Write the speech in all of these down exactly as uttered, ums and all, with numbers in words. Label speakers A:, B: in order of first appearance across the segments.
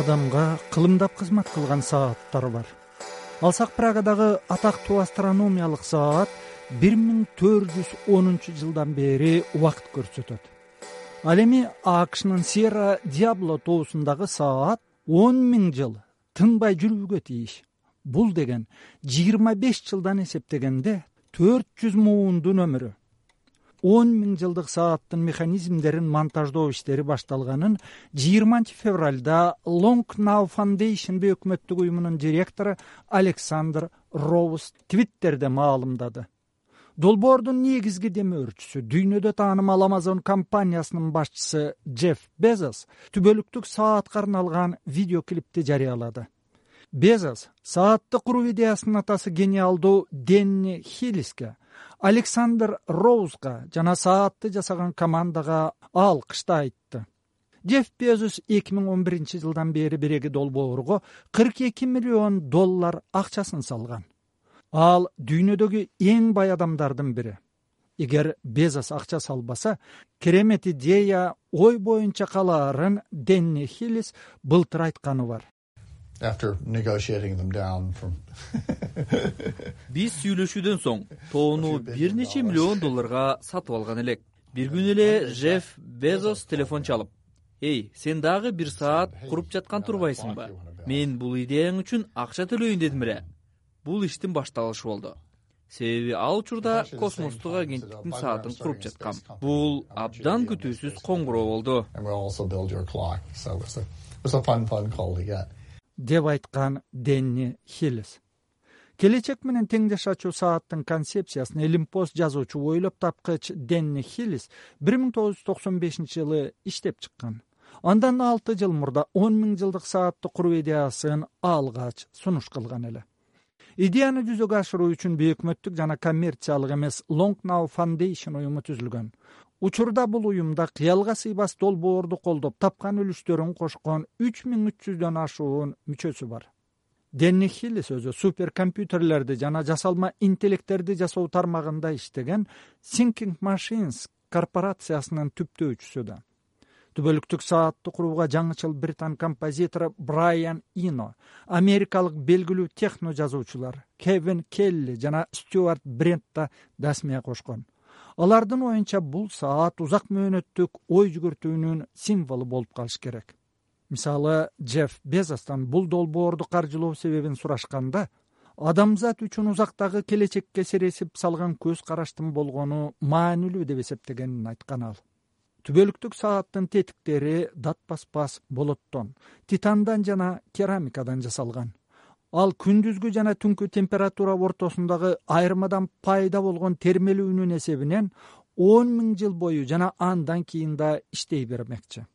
A: адамга кылымдап кызмат кылган сааттар бар. Алсак Прагадагы атактуу астрономиялык саат бир миң төрт жүз онунчу жылдан бери убакыт көрсөтөт. Ал эми АКШнын Сьерра Диабло тоосундагы саат он миң жыл тынбай жүрүүгө тийиш. Бул деген жыйырма беш жылдан эсептегенде төрт жүз муундун өмүрү. он миң жылдык сааттын механизмдерин монтаждоо иштери башталганын жыйырманчы февралда Long Now Foundation өкмөттүк уюмунун директору Александр Роуз Твиттерде маалымдады. Долбоордун негизги демөөрчүсү, дүйнөдө таанымал Amazon компаниясынын башчысы Джефф Безос түбөлүктүк саатка арналган видеоклипти жарыялады. Безос саатты куруу идеясынын атасы гениалдуу Денни Хиллиске, Александр Роузга жана саатты жасаган командага алкышты айтты. Джефф Безос эки миң он биринчи жылдан бери биреги долбоорго кырк эки миллион доллар акчасын салган. Ал дүйнөдөгү эң бай адамдардын бири. Эгер Безос акча салбаса, керемет идея ой боюнча калаарын Денни Хиллис былтыр айтканы бар.
B: After negotiating them down from
C: Биз сүйлөшүүдөн соң тоону бир нече миллион долларга сатып алган элек. Бир күн эле Джефф Безос телефон чалып: "Эй, сен дагы бир саат куруп жаткан турбайсыңбы? Мен бул идеяң үчүн акча төлөйүн дедим эле." Бул иштин башталышы болду. Себеби ал учурда космостук агенттиктин саатын куруп жаткам. Бул абдан күтүүсүз коңгуроо болду.
A: деп айткан Денни Хиллис. Келечек менен теңдешачу сааттын концепциясын Элимпост жазуучу ойлоп тапкыч Денни Хиллис бир миң тогуз жүз токсон бешинчи жылы иштеп чыккан. Андан алты жыл мурда он миң жылдык саатты куруу идеясын алгач сунуш кылган эле. Идеяны жүзөгө ашыруу үчүн өкмөттүк жана коммерциялык эмес Long Now Foundation уюму түзүлгөн. Учурда бул уюмда кыялга сыйбас долбоорду колдоп тапкан үлүштөрүн кошкон үч миң үч жүздөн ашуун мүчөсү бар. Денни Хиллис өзү суперкомпьютерлерди жана жасалма интеллекттерди жасоо тармагында иштеген Thinking Machines корпорациясынын түптөөчүсү да. Түбөлүктүк саатты курууга жаңычыл британ композитору Брайан Ино, америкалык белгилүү техно жазуучулар Кевин Келли жана Стюарт Брент да дасмия кошкон. Алардын оюнча бул саат узак мөөнөттүк ой жүгүртүүнүн символу болуп калыш керек. Мисалы, Джефф Безостон бул долбоорду каржылоо себебин сурашканда, адамзат үчүн узактагы келечекке сересип салган көз караштын болгону маанилүү деп эсептегенин айткан ал. Түбөлүктүк сааттын тетиктери датпаспас болоттон, титандан жана керамикадан жасалган. Ал күндүзгү жана түнкү температура ортосундагы айырмадан пайда болгон термелүүнүн эсебинен он миң жыл бою жана андан кийин да иштей бермекчи.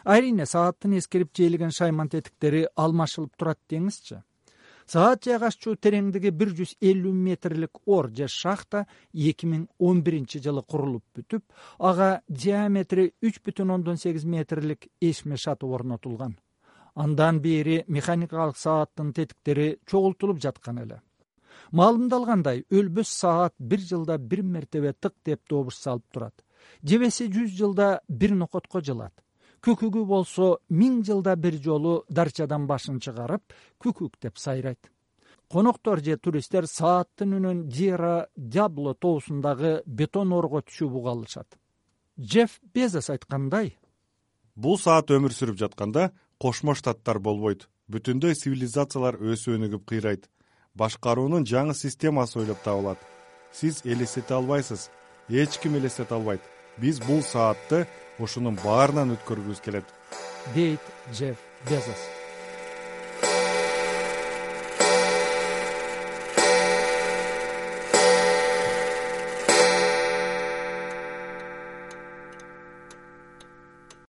A: Айрине сааттын эскирип жээлеген шайман тетиктери алмашылып турат деңизчи. Саат жайгашчу тереңдиги бир жүз элүү метрлик ор же шахта эки миң он биринчи жылы курулуп бүтүп, ага диаметри үч бүтүн ондон сегиз метрлик эшме шатып орнотулган. Андан бери механикалык сааттын тетиктери чогултулуп жаткан эле. Маалымдалгандай, өлбөс саат бир жылда бир мертебе тык деп добуш салып турат. Жебеси жүз жылда бир нокотко жылат. Күкүгү болсо миң жылда бир жолу дарчадан башын чыгарып, күкүк деп сайрайт. Коноктор же туристтер сааттын үнүн Сьерра Диабло тоосундагы бетон орго түшүп уга алышат. Джефф Безос айткандай:
D: "Бул саат өмүр сүрүп жатканда Кошмо Штаттар болбойт. Бүтүндөй цивилизациялар өсүп өнүгүп кыйрайт. Башкаруунун жаңы системасы ойлоп табылат. Сиз элестете албайсыз. Эч ким элестете албайт. Биз бул саатты ушунун баарынан өткөргүбүз келет", дейт Джефф Безос.